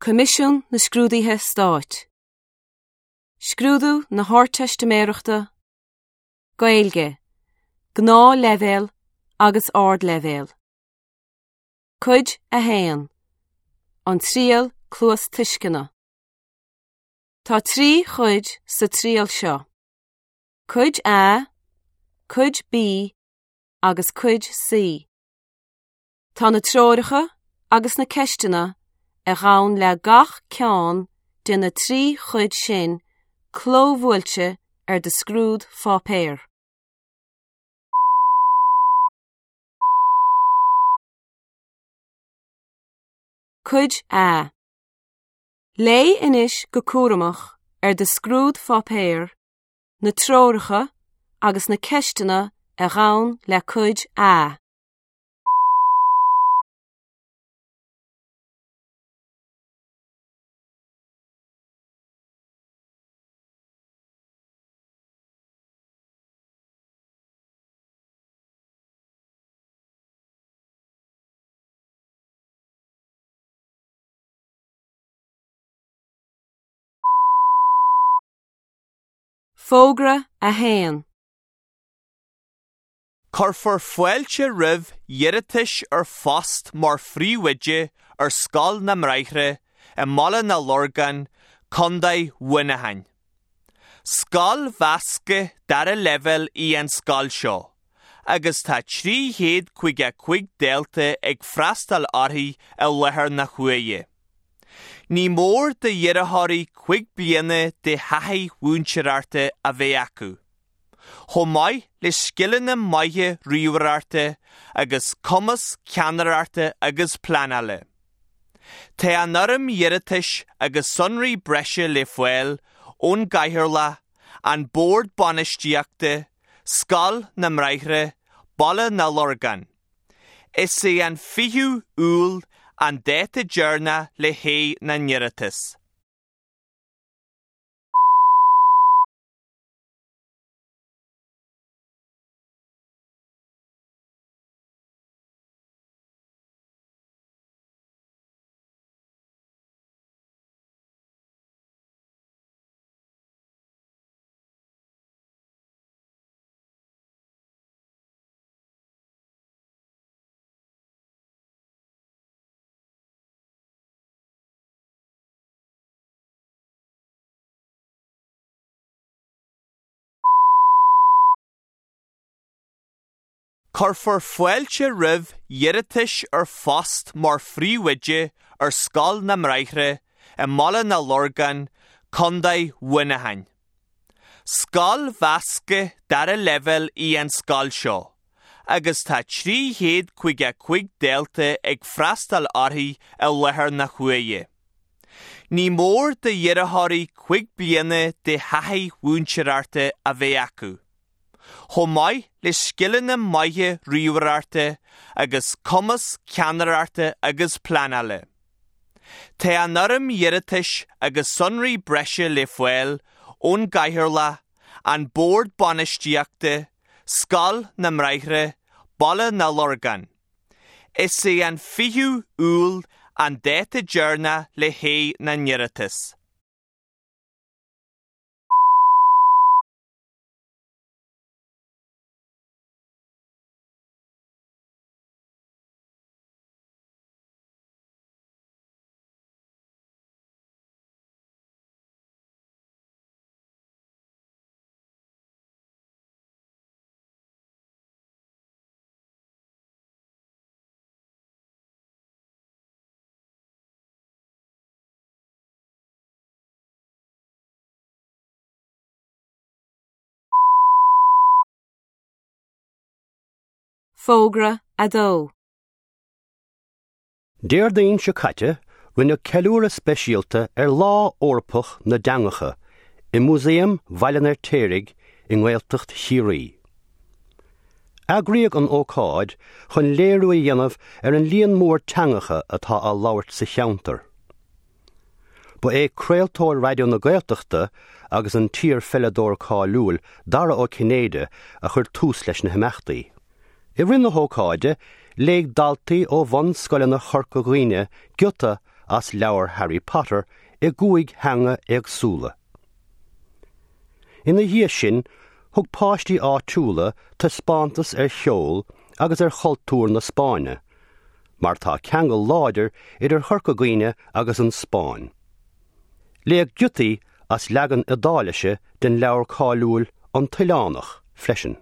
Coimisiún na Scrúduithe Stáit. Scrúdú na hArdteistiméireachta, Gaeilge, Gnáthleibhéal agus Ardleibhéal. Cuid 1, An Triail Cluastuisceana. Tá 3 chuid sa triail seo, Cuid A, Cuid B agus Cuid C. Tá na treoracha agus na ceisteanna a ghabhann le gach ceann de na 3 chuid sin clóbhuailte ar do scrúdpháipéar. Cuid A. Léigh anois go cúramach ar do scrúdpháipéar na treoracha agus na ceisteanna a ghabhann le Cuid A. Fógra 1. Cuirfear fáilte roimh iarratais ar phost mar phríomhoide ar Scoil na mBráithre i mBaile na Lorgan, Contae Mhuineacháin. Scoil mheasctha dara leibhéal í an scoil seo agus tá 355 dalta ag freastal uirthi i láthair na huaire. Ní mór d'iarrthóirí 5 bliana de thaithí mhúinteoireachta a bheith acu. chomh maith le scileanna maithe ríomhaireachta agus cumas ceannaireachta agus pleanála. Tá an fhoirm iarratais agus sonraí breise le fáil ón gCathaoirleach, an Bord Bainistíochta, Scoil na mBráithre, Baile na Lorgan. Is é an 20ú Iúil an dáta deireanach le haghaidh na n-iarratas. Cuirfear fáilte roimh iarratais ar phost mar phríomhoide ar Scoil na mBráithre i mBaile na Lorgan, Contae Mhuineacháin. Scoil mheasctha dara leibhéal í an scoil seo agus tá 355 dalta ag freastal uirthi i láthair na huaire. Ní mór d'iarrthóirí 5 bliana de thaithí mhúinteoireachta a bheith acu, chomh maith le scileanna maithe ríomhaireachta agus cumas ceannaireachta agus pleanála. Tá an fhoirm iarratais agus sonraí breise le fáil ón gCathaoirleach, an Bord Bainistíochta, Scoil na mBráithre, Baile na Lorgan. Is é an 20ú Iúil an dáta deireanach le haghaidh na n-iarratas. Fógra 2. Déardaoin seo caite, rinneadh ceiliúradh speisialta ar Lá Eorpach na dTeangacha i Músaem Bhaile an Fheirtéaraigh i nGaeltacht Chiarraí. Eagraíodh an ócáid chun léiriú a dhéanamh ar an líon mór teangacha atá á labhairt sa cheantar. Ba é craoltóir Raidió na Gaeltachta agus an t-iar-pheileadóir cáiliúil Dara Ó Cinnéide a chuir tús leis na himeachtaí. I rith na hócáide, léigh daltaí ó bhunscoileanna Chorca Dhuibhne giota as leabhar Harry Potter i gcúig theanga éagsúla. Ina dhiaidh sin, thug páistí áitiúla taispeántas ar cheol agus ar chultúr na Spáinne, mar tá ceangal láidir idir Chorca Dhuibhne agus an Spáinn. Léadh giotaí as leagan Iodáilise den leabhar cáiliúil An tOileánach freisin.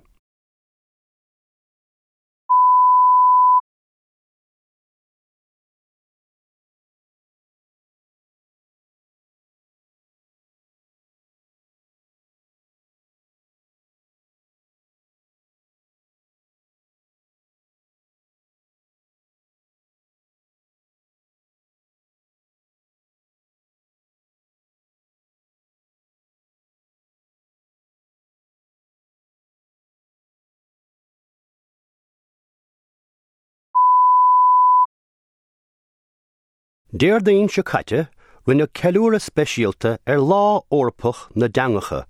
Déardaoin seo caite, rinneadh ceiliúradh speisialta ar Lá Eorpach na dTeangacha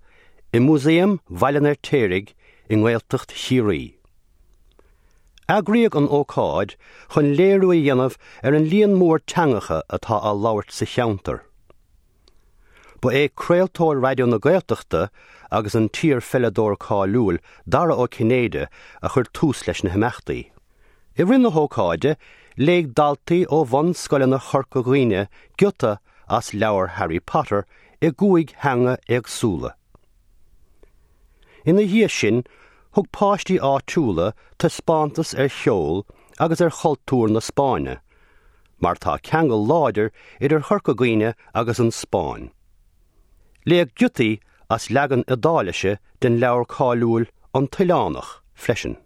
i Músaem Bhaile an Fheirtéaraigh i nGaeltacht Chiarraí. Eagraíodh an ócáid chun léiriú a dhéanamh ar an líon mór teangacha atá á labhairt sa cheantar. Ba é craoltóir Raidió na Gaeltachta agus an t-iar-pheileadóir cáiliúil Dara Ó Cinnéide a chuir tús leis na himeachtaí. I rith na hócáide, léigh daltaí ó bhunscoileanna Chorca Dhuibhne giota as leabhar Harry Potter i gcúig theanga éagsúla. Ina dhiaidh sin, thug páistí áitiúla taispeántas ar cheol agus ar chultúr na Spáinne, mar tá ceangal láidir idir Chorca Dhuibhne agus an Spáinn. Léadh giotaí as leagan Iodáilise den leabhar cáiliúil An tOileánach freisin.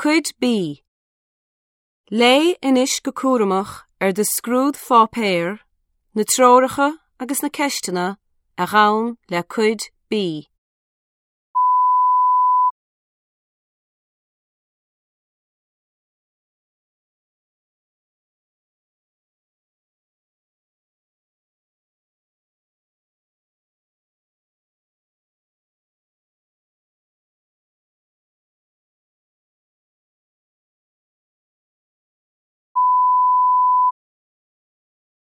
Cuid B. Léigh anois go cúramach ar do scrúdpháipéar na treoracha agus na ceisteanna a ghabhann le Cuid B.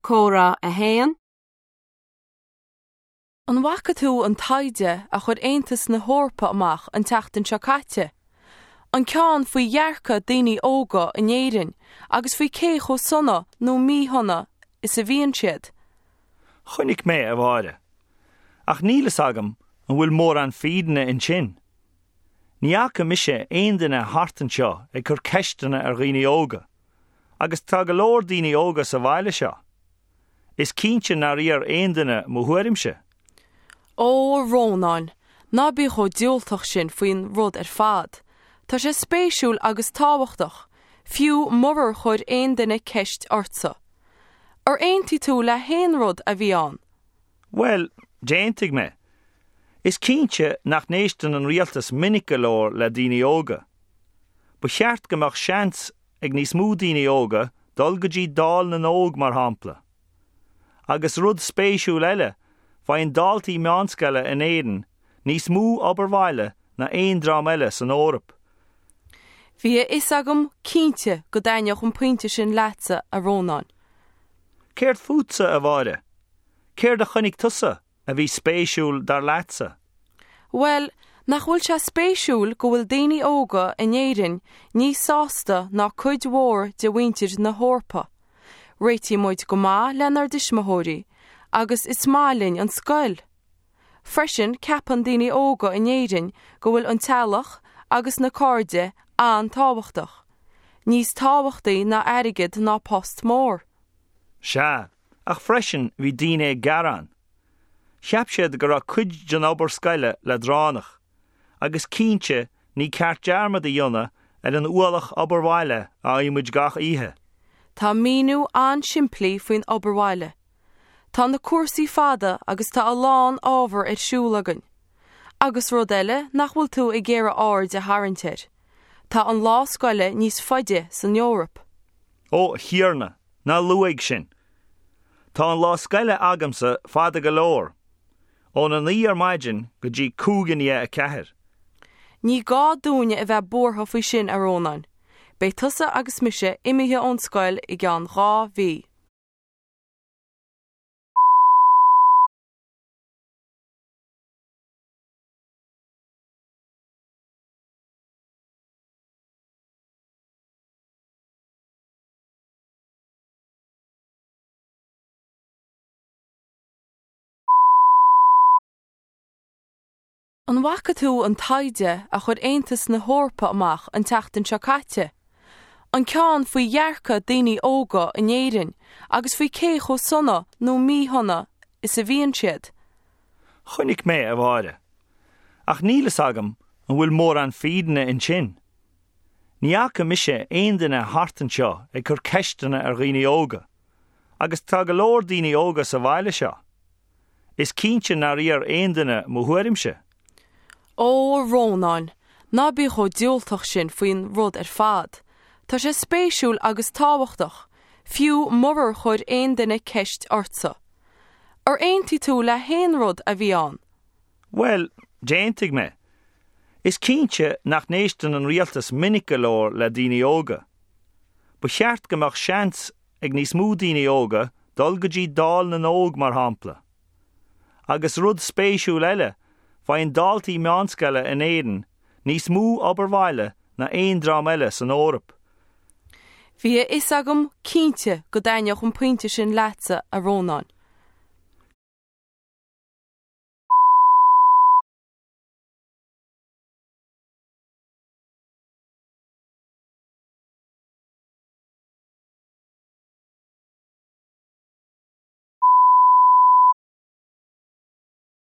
Comhrá 1. An bhfaca tú an taighde a chuir Aontas na hEorpa amach an tseachtain seo caite? An ceann faoi dhearcadh daoine óga in Éirinn agus faoi cé chomh sona nó míshona is a bhíonn siad? Chonaic mé, a Mháire. Ach níl fhios agam an bhfuil mórán fírinne ansin. Ní fhaca mise aon duine thart anseo ag cur ceisteanna ar dhaoine óga, agus tá go leor daoine óga sa bhaile seo. Is cinnte nár iarr aon duine mo thuairimse. Ó, a Rónáin, ná bí chomh diúltach sin faoin rud ar fad. Tá sé spéisiúil agus tábhachtach, fiú murar chuir aon duine ceist ortsa. Ar aontaigh tú le haon rud a bhí ann? Bhuel, d'aontaigh mé. Is cinnte nach n-éisteann an rialtas minic go leor le daoine óga. Ba cheart go mbeadh seans ag níos mó daoine óga dul go dtí Dáil na nÓg mar shampla. Agus rud spéisiúil eile, faigheann daltaí meánscoile in Éirinn níos mó obair bhaile ná aon dream eile san Eoraip. Bhí a fhios agam cinnte go dtaitneodh an pointe sin leatsa, a Rónáin. Céard fútsa, a Mháire? Céard a chonaic tusa a bhí spéisiúil dar leatsa? Bhuel, nach bhfuil sé spéisiúil go bhfuil daoine óga in Éirinn níos sásta ná cuid mhór de mhuintir na hEorpa. Réitíonn muid go maith lenár dtuismitheoirí agus is maith linn an scoil. Freisin ceapann daoine óga in Éirinn go bhfuil an teaghlach agus na cairde an-tábhachtach, níos tábhachtaí ná airgead ná post mór. Sea, ach freisin bhí daoine ag gearán. Cheap siad go raibh cuid den obair scoile leadránach. Agus cinnte, ní ceart dearmad a dhéanamh ar an ualach obair bhaile a fhaigheann muid gach oíche. Tá míniú an-simplí faoin obair bhaile. Tá na cúrsaí fada agus tá a lán ábhar ar siúl againn. Agus rud eile nach bhfuil tú ag iarraidh aird a tharraingt air. Tá an lá scoile níos faide san Eoraip. Ó, a Thiarna, ná luaigh sin! Tá an lá scoile agamsa fada go leor, óna 9 ar maidin go dtí 3:55. Ní gá dúinne a bheith buartha faoi sin, a Rónáin. Beidh tusa agus mise imithe ón scoil i gceann 2 mhí. An bhfaca tú an taighde a chuir Aontas na hEorpa amach an tseachtain seo caite? An ceann faoi dhearcadh daoine óga in Éirinn agus faoi cé chomh sona nó míshona is a bhíonn siad? Chonaic mé, a Mháire. Ach níl fhios agam an bhfuil mórán fírinne ansin. Ní fhaca mise aon duine thart anseo ag cur ceisteanna ar dhaoine óga, agus tá go leor daoine óga sa bhaile seo. Is cinnte nár iarr aon duine mo thuairimse. Ó, a Rónáin, ná bí chomh diúltach sin faoin rud ar fad. Tá sé spéisiúil agus tábhachtach, fiú murar chuir aon duine ceist ortsa. Ar aontaigh tú le haon rud a bhí ann? Bhuel, d'aontaigh mé. Is cinnte nach n-éisteann an rialtas minic go leor le daoine óga. Ba cheart go mbeadh seans ag níos mó daoine óga dul go dtí Dáil na nÓg mar shampla. Agus rud spéisiúil eile, faigheann daltaí meánscoile in Éirinn níos mó obair bhaile ná aon dream eile san Eoraip. Bhí a fhios agam cinnte go dtaitneodh an pointe sin leatsa, a Rónáin.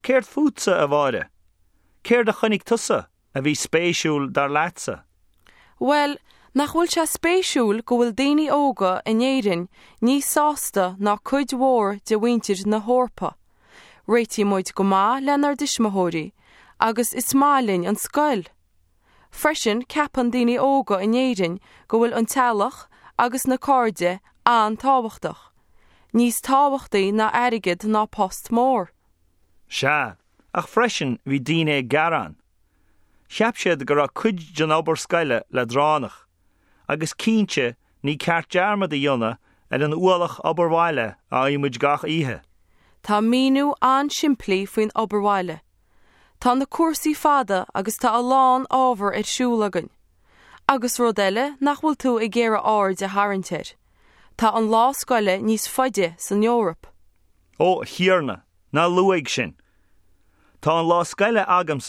Céard fútsa, a Mháire? Céard a chonaic tusa a bhí spéisiúil dar leatsa? Bhuel, nach bhfuil sé spéisiúil go bhfuil daoine óga in Éirinn níos sásta ná cuid mhór de mhuintir na hEorpa? Réitíonn muid go maith lenár dtuismitheoirí agus is maith linn an scoil. Freisin ceapann daoine óga in Éirinn go bhfuil an teaghlach agus na cairde an-tábhachtach, níos tábhachtaí ná airgead ná post mór. Sea, ach freisin bhí daoine ag gearán. Cheap siad go raibh cuid den obair scoile leadránach, agus cinnte ní ceart dearmad a dhéanamh ar an ualach obair bhaile a fhaigheann muid gach oíche. Tá míniú an-simplí faoin obair bhaile. Tá na cúrsaí fada agus tá a lán ábhar ar siúl againn. Agus rud eile nach bhfuil tú ag iarraidh aird a tharraingt air. Tá an lá scoile níos faide san Eoraip. Ó, a Thiarna, ná luaigh sin! Tá an lá scoile agamsa.